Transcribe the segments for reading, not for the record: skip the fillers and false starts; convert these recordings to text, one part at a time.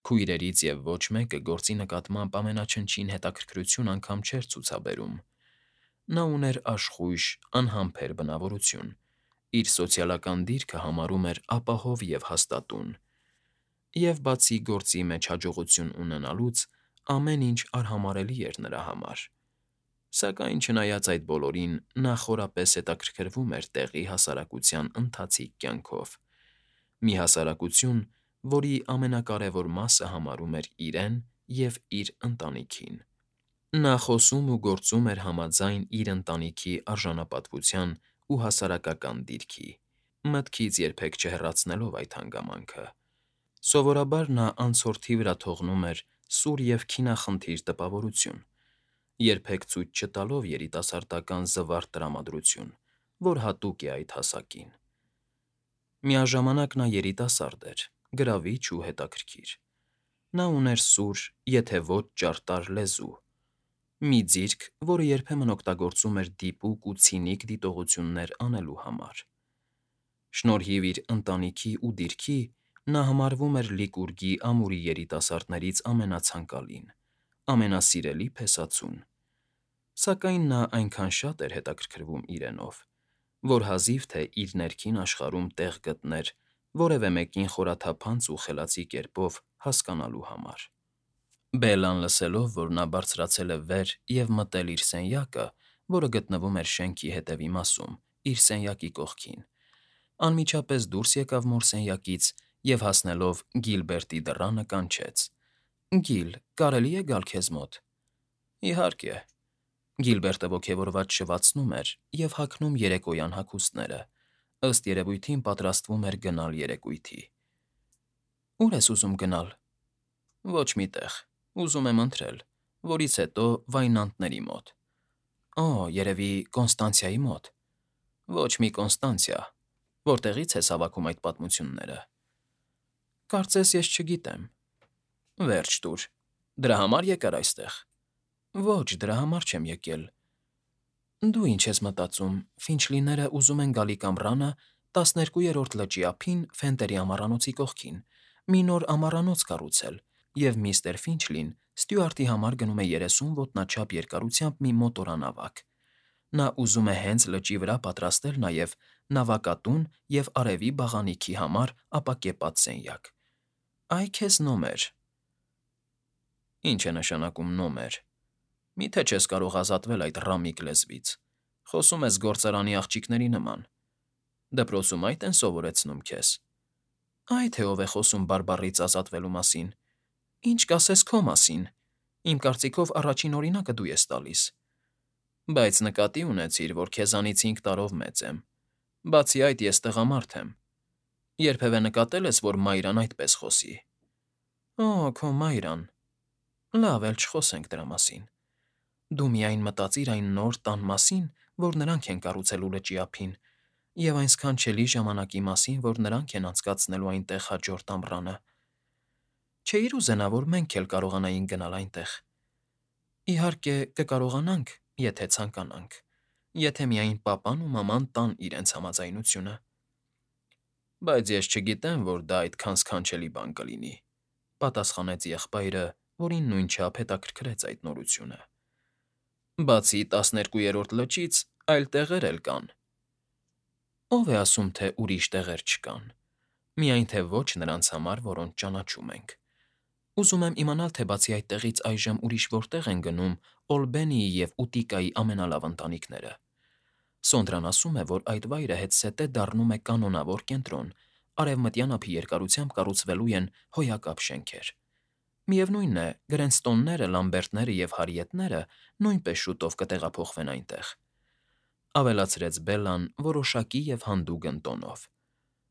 Քույրերից և ոչ մեկը գործի նկատմամբ ամենաչնչին հետաքրքրություն անգամ չէր ցուցաբերում. նա ուներ աշխույժ, անհամբեր բնավորություն, իր սոցիալական դիրքը համարում էր ապահով և հաստատուն, և բացի գործի մեջ հաջողություն ունենալուց, ամեն ինչ արհամարհելի էր նրա համար, սակայն չնայած այդ բոլորին, նա խորապես հետաքրքրվում էր տեղի հասարակության ընթացիկ կյանքով, մի հասարակություն, որի ամենակարևոր մասը համարում էր իրեն և իր ընտանիքին։ Նա խոսում ու գործում էր համաձայն իր ընտանիքի արժանապատվության ու հասարակական դիրքի, մտքից երբեք չհեռացնելով այդ հանգամանքը։ Սովորաբար նա անցորդի վրա թողնում էր սուր և քինախնդիր տպավորություն, երբեք ցույց չտալով երիտասարդական զվարթ տրամադրություն, որ հատուկ է այդ հասակին։ Միաժամանակ նա երիտասարդ էր, գրավիչ ու հետաքրքիր։ Նա ուներ սուր, եթե ոչ ճարտար լեզու, մի ձիրք, որը երբեմն օգտագործում էր դիպուկ ու ցինիկ դիտողություններ անելու համար։ Շնորհիվ իր ընտանիքի ու դիրքի, նա համարվում էր Լիկուրգի ամուրի երիտասարդներից ամենացանկալին, ամենասիրելի փեսացուն, սակայն նա այնքան շատ էր հետաքրքրվում իրենով, որ հազիվ թե իր ներքին աշխարհում տեղ գտներ որևէ մեկին խորաթափանց ու խելացի կերպով հասկանալու համար։ Բելլան լսելով, որ նա բարձրացել է վեր և մտել իր սենյակը, որը գտնվում էր շենքի հետևի մասում, իր սենյակի կողքին, անմիջապես դուրս եկավ մոր սենյակից և, հասնելով Գիլբերտի դռանը, կանչեց. «Գիլ, կարելի՞ է գալ քեզ մոտ»։ «Իհարկե»։ Գիլբերտը ոգևորված շվացնում էր և հագնում երեկոյան հագուստները, ըստ երևույթին պատրաստվում էր գնալ երեկույթի։ «Ո՞ւր ես ուզում գնալ»։ «Ոչ մի տեղ, ուզում եմ ընթրել, որից հետո վայնանտների մոտ»։ «Օ, երևի Կոնստանցիայի մոտ»։ «Ոչ մի Կոնստանցիա, որտեղի՞ց ես հավաքում այդ պատմությունները»։ «Կարծես ես չգիտեմ»։ «Վերջ տուր, դրա համար եկար այստեղ»։ «Ոչ, դրա համար չեմ եկել»։ «Դու ինչ ես մտածում, Ֆինչլիները ուզում են գալիք ամռանը 12-րդ լճի ափին Ֆենտերի ամառանոցի կողքին, մի նոր ամառանոց կառուցել, և միստր Ֆինչլին Ստյուարտի համար գնում է 30 ոտնաչափ երկարությամբ մի մոտորանավակ։ Նա ուզում է հենց լճի վրա պատրաստել նաև նավակատուն և արևի բաղանիքի համար ապակեպատ սենյակ։ Այ քեզ նոմեր»։ «Ի՞նչ է նշանակում նոմեր։ Մի՞թե չես կարող ազատվել այդ ռամիկ լեզվից, խոսում ես գործարանի աղջիկների նման։ Դպրոցում այդ են սովորեցնում քեզ։ Այ թե ով է խոսում բարբառից ազատվելու մասին։ Ինչ կասես քո մասին։ Իմ կարծիքով առաջին օրինակը դու ես տալիս։ Բայց նկատի ունեցիր, որ քեզանից 5 տարով մեծ եմ։ Բացի այդ, ես տղամարդ եմ։ Երբևէ նկատե՞լ ես, որ Մայրան այդպես խոսի։ Օ, քո Մայրան։ Լավ, էլ չխոսենք դրա մասին։ Դու միայն մտածիր այն նոր տան մասին, որ նրանք են կառուցելու լճի ափին, և այն սքանչելի ժամանակի մասին, որ նրանք են անցկացնելու այնտեղ հաջորդ ամռանը։ Չէի՞ր ուզենա, որ մենք էլ կարողանայինք գնալ այնտեղ։ Իհարկե, կկարողանանք, եթե ցանկանանք, եթե միայն պապան ու մաման տան իրենց համաձայնությունը։ Բայց ես չգիտեմ, որ դա այդքան սքանչելի բան կլինի, պատասխանեց եղբայրը, որին նույնչափ հետաքրքրեց այդ նորությունը։ Բացի 12-րդ լճից այլ տեղեր էլ կան։ Ո՞վ է ասում, թե ուրիշ տեղեր չկան։ Միայն թե ոչ նրանց համար, որոնց ճանաչում ենք։ Ուզում եմ իմանալ, թե բացի այդտեղից այժմ ուրիշ որտեղ են գնում Օլբենիի և Ուտիկայի ամենալավ ընտանիքները։ Սոնդրան ասում է, որ այդ վայրը հետզհետե դառնում է կանոնավոր կենտրոն, արևմտյան ափի երկարությամբ կառուցվելու են հոյակապ շենքեր։ Միևնույն է, Գրենստոնները, Լամբերտները և Հարիետները նույնպես շուտով կտեղափոխվեն այնտեղ։ Ավելացրեց Բելլան որոշակի և հանդուգն տոնով։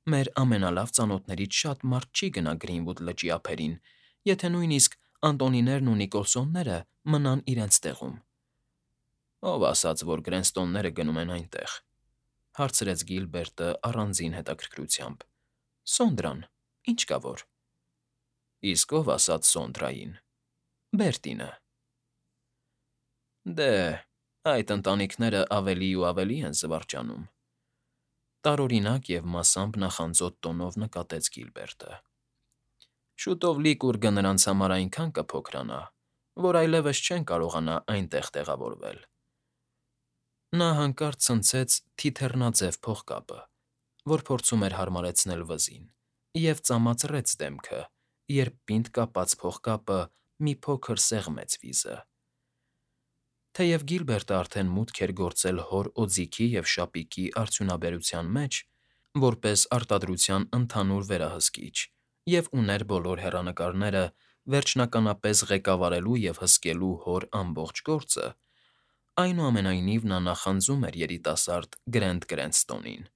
Մեր ամենալավ ծանոթներից շատ մարդ չի գնա Գրինվուդ լճի ափերին, եթե նույնիսկ Անտոնիներն ու Նիկոլսոնները մնան իրենց տեղում։ Ո՞վ ասաց, որ Գրենստոնները գնում են այնտեղ, հարցրեց Գիլբերտը առանձին հետաքրքրությամբ։ Սոնդրան, ինչ կա որ։ Իսկ ո՞վ ասաց Սոնդրային։ Բերտինը։ Դե, այդ ընտանիքները ավելի ու ավելի են զվարճանում։ Տարօրինակ և մասամբ նախանձոտ տոնով նկատեց Գիլբերտը։ Շուտով Լիկուրգը նրանց համար այնքան կփոքրանա, որ այլևս չեն կարողանա այնտեղ տեղավորվել։ Նա հանկարծ ցնցեց թիթեռնաձև փողկապը, որ փորձում էր հարմարեցնել վզին, և ծամացրեց դեմքը, երբ պինդ կապած փողկապը մի փոքր սեղմեց վիզը։ Թեև Գիլբերտը արդեն մուտք էր գործել հոր օձիքի և շապիկի արդյունաբերության մեջ, որպես արտադրության ընդհանուր վերահսկիչ, և ուներ բոլոր հեռանկարները վերջնականապես ղեկավարելու և հսկելու հոր ամբողջ գործը, այնուամենայնիվ նա նախանձում էր երիտասարդ Գրենտ Կրենստոնին,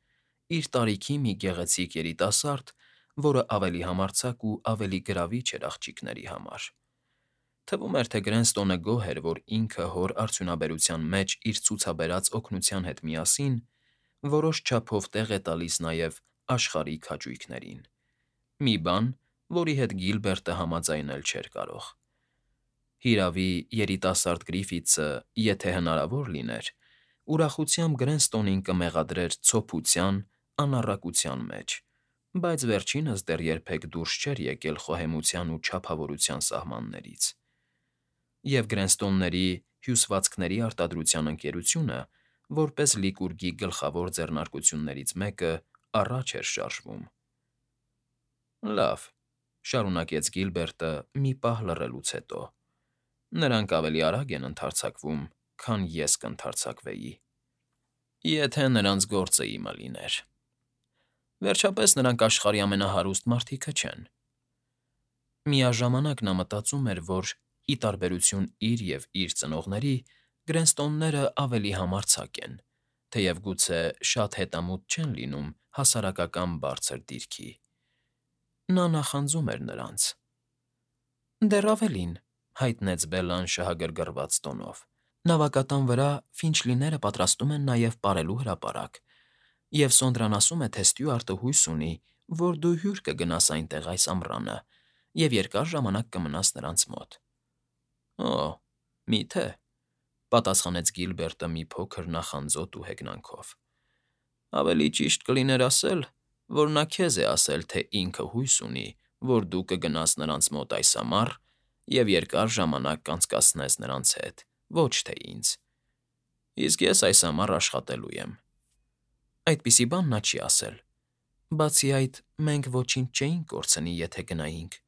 իր տարիքի մի գեղեցիկ երիտասարդ, որը ավելի համարձակ ու ավելի գրավիչ էր աղջիկների համար։ Թվում էր, թե Գրենստոնը գոհ էր, որ ինքը հոր արդյունաբերության մեջ իր ցուցաբերած օգնության հետ միասին որոշ չափով տեղ է տալիս նաև աշխարհիկ հաճույքներին։ Մի բան, որի հետ Գիլբերտը համաձայնել չէր կարող։ Հիրավի, երիտասարդ Գրիֆիթսը, եթե հնարավոր լիներ, ուրախությամբ Գրենստոնին կմեղադրեր ցոփության, անառակության մեջ, բայց վերջինս դեռ երբեք դուրս չէր եկել խոհեմության ու չափավորության սահմաններից, և Գրենստոնների հյուսվածքների արտադրության ընկերությունը, որպես Լիկուրգի գլխավոր ձեռնարկություններից մեկը, առաջ էր շարժվում։ Լավ,֊ շարունակեց Գիլբերտը մի պահ լռելուց հետո,֊ նրանք ավելի արագ են ընդարձակվում, քան ես կընդարձակվեի, եթե նրանց գործը իմը լիներ։ Վերջապես նրանք աշխարհի ամենահարուստ մարդիկը չեն։ Միաժամանակ նա մտածում էր, որ, ի տարբերություն իր և իր ծնողների, Գրենստոնները ավելի համարձակ են, թեև գուցե շատ հետամուտ չեն լինում հասարակական բարձր դիրքի։ Նա նախանձում էր նրանց։ Դեռ ավելին,֊ հայտնեց Բելլան շահագրգռված տոնով,֊ նավակատան վրա Ֆինչլիները պատրաստում են նաև պարելու հրապարակ, և Սոնդրան ասում է, թե Ստյուարտը հույս ունի, որ դու հյուր կգնաս այնտեղ այս ամռանը և երկար ժամանակ կմնաս նրանց մոտ։ Օ՜, մի՞թե,֊ պատասխանեց Գիլբերտը մի փոքր նախանձոտ ու հեգնանքով։ Ավելի ճիշտ կլիներ ասել, որ նա քեզ է ասել, թե ինքը հույս ունի, որ դու կգնաս նրանց մոտ այս ամառ և երկար ժամանակ կանցկացնես նրանց հետ, ոչ թե ինձ, իսկ ես այս ամառ աշխատելու եմ։ Այդպիսի բան նա չի ասել։ Բացի այդ, մենք ոչինչ չէինք կորցնի, եթե գնայինք։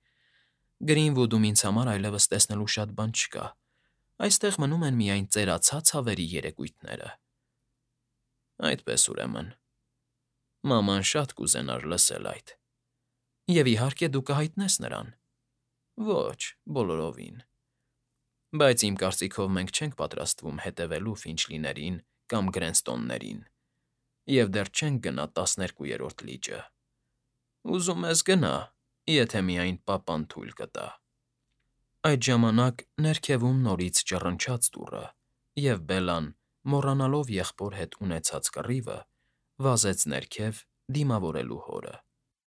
Գրինվուդում ինձ համար այլևս տեսնելու շատ բան չկա, այստեղ մնում են միայն ծերացած հավերի երեկույթները։ Այդպես, ուրեմն, մաման շատ կուզենար լսել այդ։ Եվ, իհարկե, դու կհայտնես նրան։ Ոչ, բոլորովին։ Բայց իմ կարծիքով մենք չենք պատրաստվում հետևելու Ֆինչլիներին կամ Գրենստոններին, և դեռ չենք գնա 12-րդ լիճը։ Ուզում ես գնա, եթե միայն պապան թույլ կտա։ Այդ ժամանակ ներքևում նորից ճռնչաց դուռը, և Բելլան, մոռանալով եղբոր հետ ունեցած կռիվը, վազեց ներքև՝ դիմավորելու հորը։